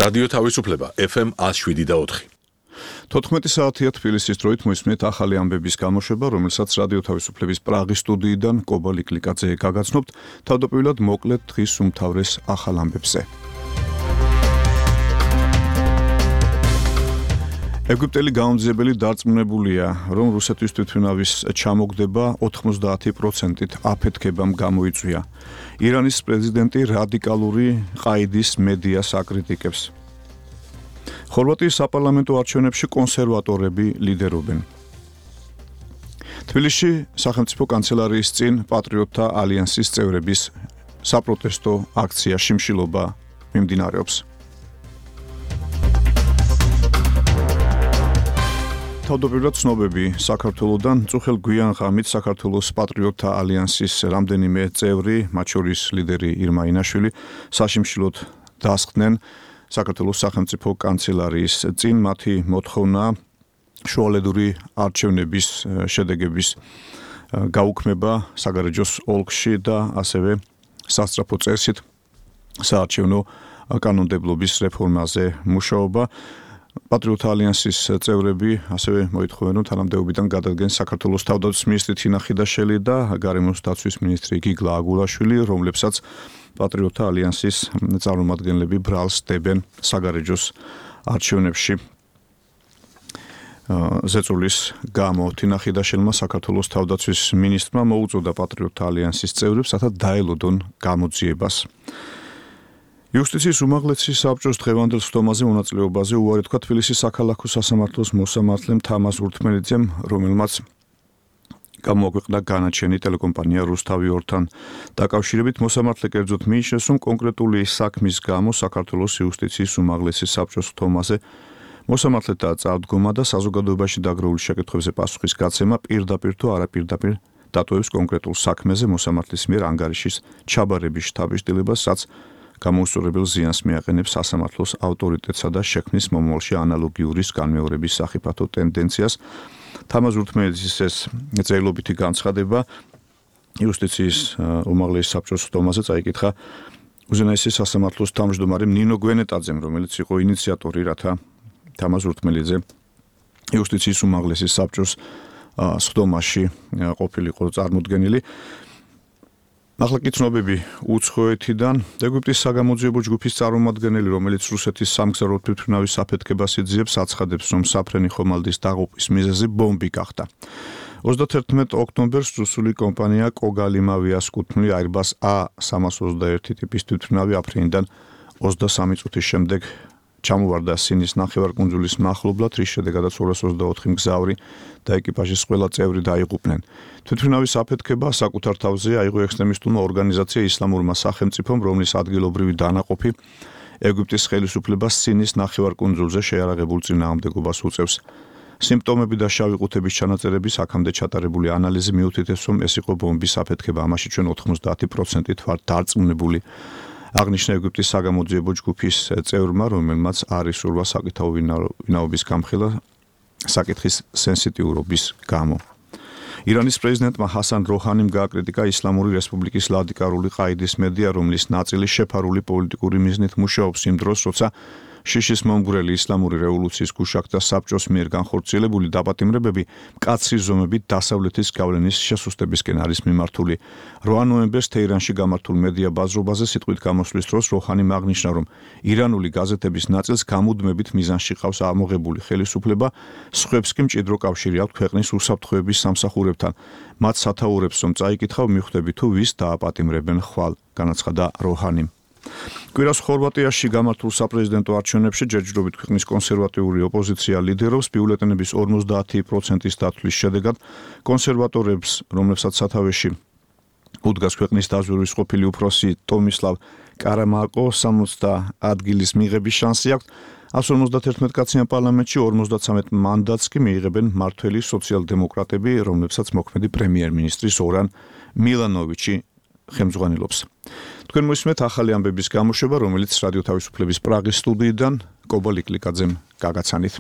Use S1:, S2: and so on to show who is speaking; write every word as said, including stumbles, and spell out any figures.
S1: რადიო თავისუფლება ეფ ემ ათს შვიდი და ოთხი.
S2: თოთხმეტი საათია თბილისის დროით მოისმენთ ახალი ამბების გამოშვება, რომელსაც რადიო თავისუფლების პრაღის სტუდიიდან კობა ლიკლიკაძე გაგაცნობთ, თავდაპირველად მოკლედ დღის უმთავრეს ახალ ამბებზე. ეგვიპტელი გამომძიებელი დარწმუნებულია, რომ რუსეთის თვითმფრინავის ჩამოგდება ოთხმოცდაათი პროცენტით აფეთქებამ გამოიწვია. ირანის პრეზიდენტი რადიკალური ყაიდის მედიას აკრიტიკებს. ხორვატიის საპარლამენტო არჩევნებში კონსერვატორები ლიდერობენ. თბილისში სახელმწიფო კანცელარიის წინ პატრიოტთა ალიანსის წევრების საპროტესტო აქცია შიმშილობა მიმდინარეობს. თავდაპირველად ცნობები საქართველოდან წუხელ გვიან ღამით საქართველოს პატრიოტთა ალიანსის რამდენიმე წევრი, მათ შორის ლიდერი ირმა ინაშვილი, საშიმშილოდ დასხდნენ საქართველოს სახელმწიფო კანცელარიის წინ. მათი მოთხოვნა შუალედური არჩევნების შედეგების გაუქმება საგარეჯოს ოლქში და ასევე სასწრაფო წესით საარჩევნო კანონმდებლობის რეფორმაზე მუშაობა. პატრიოტთა ალიანსის წევრები ასევე მოითხოვენ, რომ თანამდებობიდან გადადგენ საქართველოს თავდაცვის მინისტრი თინა ხიდაშელი და გარემოს დაცვის მინისტრი გიგლა აგულაშვილი, რომლებსაც პატრიოტთა ალიანსის წარმომადგენლები ბრალს დებენ საგარეჯოს არჩევნებში. ზეწოლის გამო თინა ხიდაშელმა საქართველოს თავდაცვის მინისტრმა მოუწოდა პატრიოტთა ალიანსის წევრებს, რათა დაელოდონ გამოძიებას. იუსტიციის უმაღლესი საბჭოს დღევანდელ სხდომაზე მონაწილეობაზე უარი თქვა თბილისის საქალაქო სასამართლოს მოსამართლემ თამაზ ურთმელიძემ, რომელმაც გამოაქვეყნა განაჩენი ტელეკომპანია რუსთავი ორთან დაკავშირებით. მოსამართლე კერძოდ მიიჩნევს, რომ კონკრეტული საქმის გამო საქართველოს იუსტიციის უმაღლესი საბჭოს სხდომაზე მოსამართლეთა წარდგომა და საზოგადოებაში დაგროვილი შეკითხვებზე პასუხის გაცემა პირდაპირ თუ არაპირდაპირ დატოვებს კონკრეტულ საქმეზე მოსამართლის მიერ ანგარიშის ჩაბარების შთაბეჭდილებას, რაც გამოუსწორებელ ზიანს მიაყენებს სასამართლოს ავტორიტეტსა და შექმნის მომავალში ანალოგიური განმეორების სახიფათო ტენდენციას. თამაზ ურთმელიძის ეს წერილობითი განცხადება იუსტიციის უმაღლესი საბჭოს სხდომაზე წაიკითხა უზენაესი სასამართლოს თავმჯდომარემ ნინო გვენეტაძემ, რომელიც იყო ინიციატორი, რათა თამაზ ურთმელიძე იუსტიციის უმაღლესი საბჭოს სხდომაში ყოფილიყო წარმოდგენილი. ახლა კი ცნობები უცხოეთიდან. ეგვიპტის საგამოძიებო ჯგუფის წარმომადგენელი, რომელიც რუსეთის სამგზავრო თვითმფრინავის აფეთქებას იძიებს, აცხადებს, რომ საფრენი ხომალდის დაღუპვის მიზეზი ბომბი გახდა. ოცდათერთმეტ ოქტომბერს რუსული კომპანია კოგალიმავიას კუთვნილი Airbus A სამას ოცდაერთი ტიპის თვითმფრინავი აფრენიდან ოცდასამი წუთის შემდეგ ჩამოვარდა სინის ნახევარკუნძულის მახლობლად, რის შედეგადაც ორას ოცდაოთხი მგზავრი და ეკიპაჟის ყველა წევრი დაიღუპნენ. თვითმფრინავის აფეთქება საკუთარ თავზე აიღო ექსტრემისტულმა ორგანიზაცია ისლამურმა სახელმწიფომ, რომლის ადგილობრივი დანაყოფი ეგვიპტის ხელისუფლებას სინის ნახევარკუნძულზე შეიარაღებულ წინააღმდეგობას უწევს. სიმპტომები და შავი ყუთების ჩანაწერების აქამდე ჩატარებული ანალიზი მიუთითებს, რომ ეს იყო ბომბის აფეთქება. ამაში ჩვენ ოთხმოცდაათი პროცენტით ვართ დარწმუნებული. აღნიშნა ეგვიპტის საგამოძიებო ჯგუფის წევრმა, რომელმაც არ ისურვა საკითხაო ვინაობის გამხელა საკითხის სენსიტიურობის გამო. ირანის პრეზიდენტმა ჰასან როჰანიმ გააკრიტიკა ისლამური რესპუბლიკის რადიკალური ყაიდის მედია, რომლის ნაწილი შეფარული პოლიტიკური მიზნით მუშაობს იმ დროს, როცა შიშის მომგვრელი ისლამური რევოლუციის გუშაგთა საბჭოს მიერ განხორციელებული დაპატიმრებები მკაცრი ზომებით დასავლეთის გავლენის შესუსტებისკენ არის მიმართული. რვა ნოემბერს თეირანში გამართულ მედია ბაზრობაზე სიტყვით გამოსვლის დროს როჰანიმ აღნიშნა, რომ ირანული გაზეთების ნაწილს გამუდმებით მიზანში ყავს ამოღებული ხელისუფლება, სხვებს კი მჭიდრო კავშირი აქვთ ქვეყნის უსაფრთხოების სამსახურებთან. მათ სათაურებს რომ წაიკითხავ მიხვდები თუ ვის დააპატიმრებენ ხვალ, განაცხადა როჰანიმ. კვირას ხორვატიაში გამართულ საპრეზიდენტო არჩევნებში ჯერჯერობით ქვეყნის კონსერვატიული ოპოზიცია ლიდერობს. ბიულეტენების ორმოცდაათი პროცენტის დათვლის შედეგად კონსერვატორებს, რომლებსაც სათავეში უდგას ქვეყნის დაზვერვის ყოფილი უფროსი ტომისლავ კარამაკო სამოცდა ადგილის მიღების შანსი აქვს. εκατს ორმოცდაერთმეტ კაციან პარლამენტში ორმოცდაცამეტ მანდატს კი მიიღებენ მმართველი სოციალ-დემოკრატები, რომლებსაც მოქმედი პრემიერ-მინისტრი ზორან მილანოვიჩი ხელმძღვანელობს. თქვენ მოისმენთ ახალი ამბების გამოშვება, რომელიც რადიო თავისუფლების პრაღის სტუდიიდან კობა ლიკლიკაძემ გაგაცანით.